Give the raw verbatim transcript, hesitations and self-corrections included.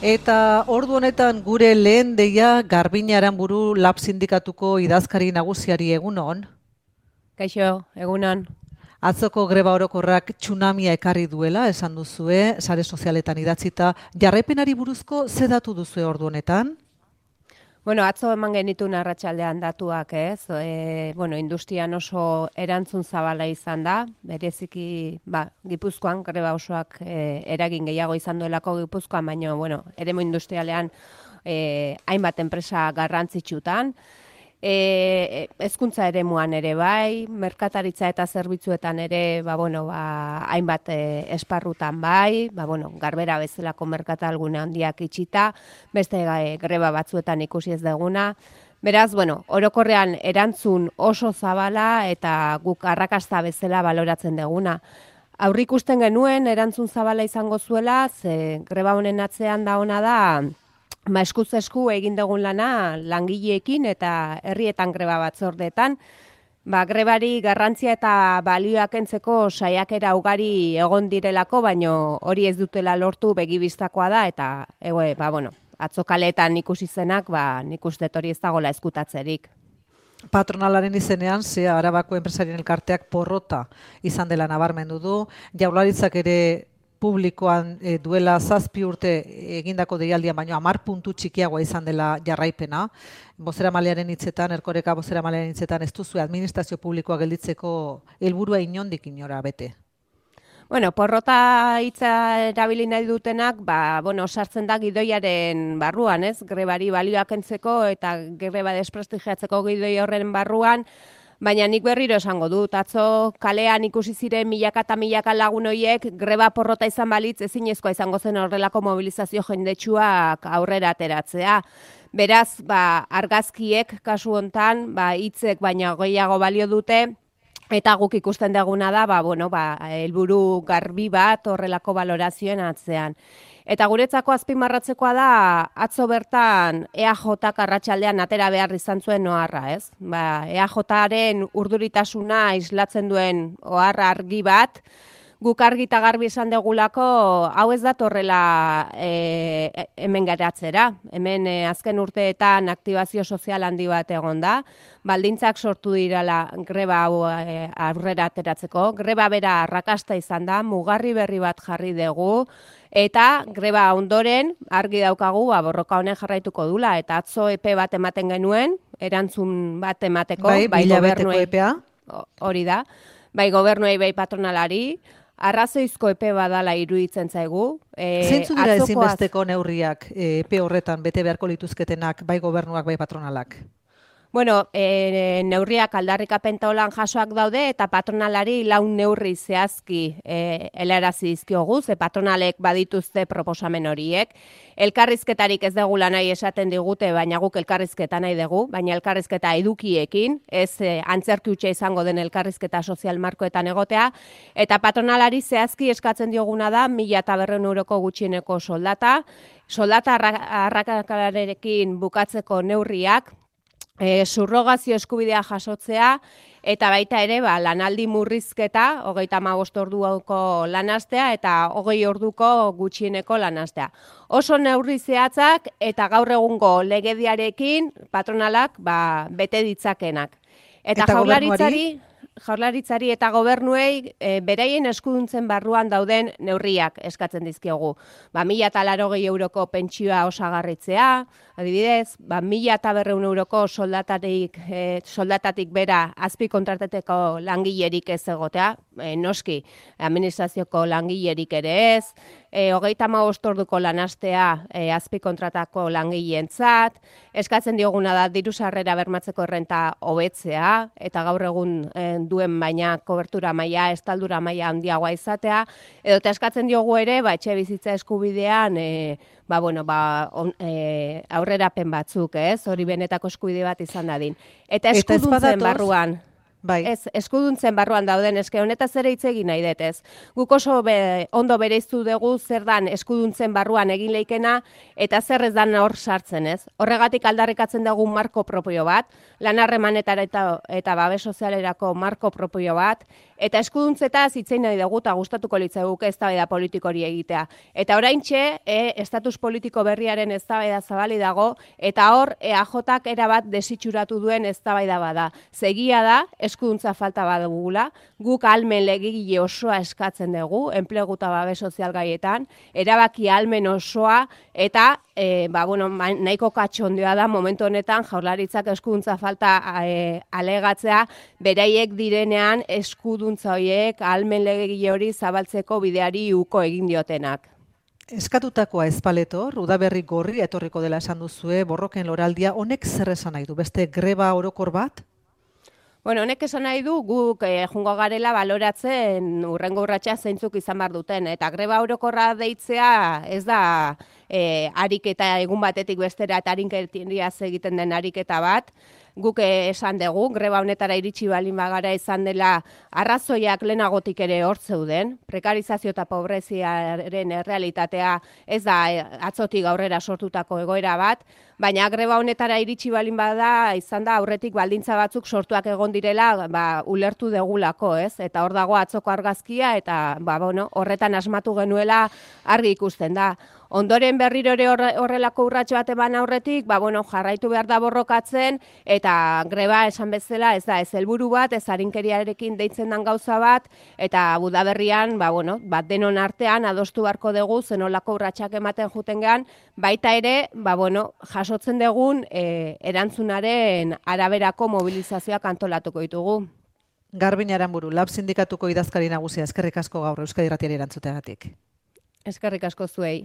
Eta ordu honetan gure lehen deia Garbiñe Aranburu Lab Sindikatuko idazkari nagusiari egunon. Kaixo, egunon. Atzoko greba orokorrak tsunamia ekarri duela, esan duzue, sare sozialetan idatzita. Jarraipenari buruzko ze datu duzue ordu honetan? Bueno, atzo eman genituen arratsaldean datuak, ez? E, bueno, industrian oso erantzun zabala izan da, bereziki, ba, Gipuzkoan, greba osoak e, eragin gehiago izan duelako Gipuzkoan, baina, bueno, eremu industrialean e, hainbat enpresa garrantzitsutan. E, hezkuntza eremuan ere bai, merkataritza eta zerbitzuetan ere, ba, bueno, ba, hainbat e, esparrutan bai, ba, bueno, Garbera bezalako merkatalgune handiak itxita, beste e, greba batzuetan ikusi ez duguna. Beraz, bueno, orokorrean erantzun oso zabala eta guk arrakasta bezala baloratzen duguna. Aurrikusten genuen erantzun zabala izango zuela, ze greba honen atzean da ona da, ba, eskuz esku egin dugun lana langileekin eta herrietan greba batzordeetan, ba, grebari garrantzia eta balioak kentzeko saiakera ugari egon direlako, baino hori ez dutela lortu begibistakoa da, eta egue, ba, bueno, atzokaletan ikusi zenak, ba, nik uste hori ez dagoela eskutatzerik. Patronalaren izenean, ze Arabako enpresarien elkarteak porrota izan dela nabarmendu du, Jaurlaritzak ere publikoan e, duela zazpi urte egindako deialdian, baino hamar puntu txikiagoa izan dela jarraipena. Bozeramailearen hitzetan, Erkoreka bozeramailearen hitzetan, ez duzu administrazio publikoa gelditzeko helburua inondik inora bete. Bueno, porrota hitza erabili nahi dutenak, ba, bueno, sartzen da gidoiaren barruan, ez? Grebari balioak kentzeko eta greba desprestigiatzeko gidoi horren barruan. Baina nik berriro esango dut, atzo kalean ikusi ziren milaka eta milaka lagun horiek greba porrota izan balitz ezinezkoa izango zen horrelako mobilizazio jendetsuak aurrera ateratzea. Beraz, ba, argazkiek kasu hontan, ba, hitzek baina gehiago balio dute, eta guk ikusten duguna da, ba, bueno, ba, helburu garbi bat horrelako balorazioen atzean. Eta guretzako azpimarratzekoa da, atzo bertan E A Jak arratsaldean atera behar izan zuen oharra, ez? Ba, E A Jaren urduritasuna islatzen duen oharra argi bat, guk argi eta garbi esan degulako, hau ez datorrela e, hemen geratzera. Hemen e, azken urteetan aktibazio sozial handi bat egon da, baldintzak sortu dirala greba hau e, aurrera ateratzeko, greba bera arrakasta izan da, mugarri berri bat jarri dugu, eta greba ondoren argi daukagu ba, borroka honen jarraituko dula, eta atzo epe bat ematen genuen, erantzun bat emateko, bai, bai gobernuei, epea. Hori da, bai gobernuei, bai patronalari, arrazoizko epe badala iruditzen zaigu. E, Zeintzu dira ezinbesteko neurriak e, epe horretan bete beharko lituzketenak, bai gobernuak, bai patronalak? Bueno, e, neurriak aldarrikapen taulan jasoak daude eta patronalari laun neurri zehazki e, helarazi dizkiogu, ze patronalek badituzte proposamen horiek. Elkarrizketarik ez degula nahi esaten digute, baina guk elkarrizketa nahi dugu, baina elkarrizketa edukiekin, ez e, antzerki hutsa izango den elkarrizketa sozial markoetan egotea, eta patronalari zehazki eskatzen dioguna da mila eta berrehun euroko gutxieneko soldata, soldata arrakalarekin bukatzeko neurriak, E, subrogazio eskubidea jasotzea, eta baita ere ba, lanaldi murrizketa, hogeita hamabost orduko lanastea eta hogei orduko gutxieneko lanastea. Oso neurri zehatzak eta gaur egungo legediarekin patronalak ba, bete ditzakenak. Eta, eta jaurlaritzari, jaurlaritzari eta gobernuei e, beraien eskuduntzen barruan dauden neurriak eskatzen dizkiogu. Ba, mila eta laurogei euroko pentsioa osagarritzea, adibidez, ba, mila eta berrehun euroko soldatatik, e, soldatatik bera azpi kontratateko langilerik ez egotea, e, noski, administrazioko langilerik ere ez, e, hogeita hamabost orduko lanastea e, azpi kontratako langileentzat, eskatzen dioguna da diru sarrera bermatzeko errenta hobetzea, eta gaur egun e, duen baina kobertura maila, estaldura maila handiagoa izatea, edo eskatzen diogu ere, ba, etxe bizitza eskubidean, e, ba, bueno, ba, on, e, aurrerapen batzuk, ez? Hori benetako eskubide bat izan dadin. Eta eskuduntzen barruan, bai. Ez, eskuduntzen barruan dauden, eske honetaz ere hitz egin nahi detez. Guk oso be, ondo bereiztu dugu zer dan eskuduntzen barruan egin leikena, eta zer ez dan hor sartzen, ez? Horregatik aldarrikatzen dugu marko propio bat, lan harremanetara eta, eta babes sozialerako marko propio bat, Eta eskuduntzetaz hitzein nahi dugu eta gustatuko litzaiguke eztabaida politiko hori egitea. Eta oraintxe, e, estatus politiko berriaren eztabaida zabali dago, eta hor E A Jak erabat desitxuratu duen eztabaida bada. Segia da, eskuduntza falta badugula, guk ahalmen legegile osoa eskatzen dugu, enplegu eta babes sozial gaietan, erabaki ahalmen osoa, eta e, ba, bueno, nahiko katxondioa da momentu honetan Jaurlaritzak eskuduntza falta e, alegatzea, beraiek direnean eskuduntza horiek ahalmen legegile hori zabaltzeko bideari uko egin diotenak. Eskatutakoa ezpaletor, udaberri gorri etorriko dela esan duzue, borroken loraldia, honek zer esan nahi du? Beste greba orokor bat? Bueno, honek esan nahi du guk eh, jungo garela baloratzen urrengo urratsa zeintzuk izan behar duten. Eta greba orokorra deitzea ez da eh, ariketa egun batetik bestera eta arinkeriaz egiten den ariketa bat. Guk esan dugu, greba honetara iritsi balin bagara izan dela arrazoiak lehenagotik ere hor zeuden. Prekarizazio eta pobreziaren errealitatea ez da atzotik aurrera sortutako egoera bat, baina greba honetara iritsi balin bada izan da aurretik baldintza batzuk sortuak egon direla ba, ulertu degulako, ez? Eta hor dago atzoko argazkia eta ba, bueno, horretan asmatu genuela argi ikusten da. Ondoren berriro ere horrelako urratxo bat eman aurretik, ba, bueno, jarraitu behar da borrokatzen, eta greba esan bezala ez da ez helburu bat, ez arinkeriarekin deitzen den gauza bat, eta Udaberrian, ba, bueno, bat denon artean adostu beharko dugu zenolako urratsak ematen juten gean, baita ere, ba, bueno, jasotzen dugun e, erantzunaren araberako mobilizazioak antolatuko ditugu. Garbin Aranburu, Lab Sindikatuko idazkari nagusia, eskerrik asko gaur Euskadi Irratiari erantzuteagatik. Eskerrik asko zuei.